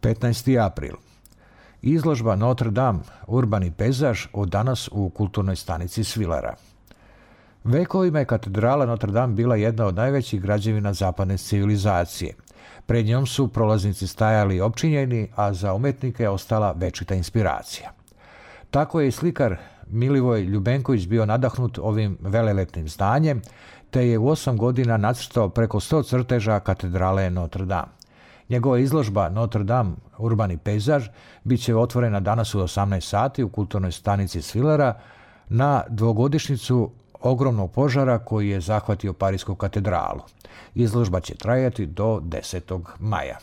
15. april. Izložba Notre Dame, urbani pejzaž, od danas u kulturnoj stanici Svilera. Vekovima je katedrala Notre Dame bila jedna od najvećih građevina zapadne civilizacije. Pred njom su prolaznici stajali opčinjeni, a za umetnike je ostala večita inspiracija. Tako je i slikar Milivoj Ljubenković bio nadahnut ovim velelepnim zdanjem, te je u 8 godina nacrtao preko 100 crteža katedrale Notre Dame. Njegova izložba Notre Dame, urbani pejzaž, bit će otvorena danas u 18 sati u kulturnoj stanici Svilera na dvogodišnjicu ogromnog požara koji je zahvatio Parisku katedralu. Izložba će trajati do 10. maja.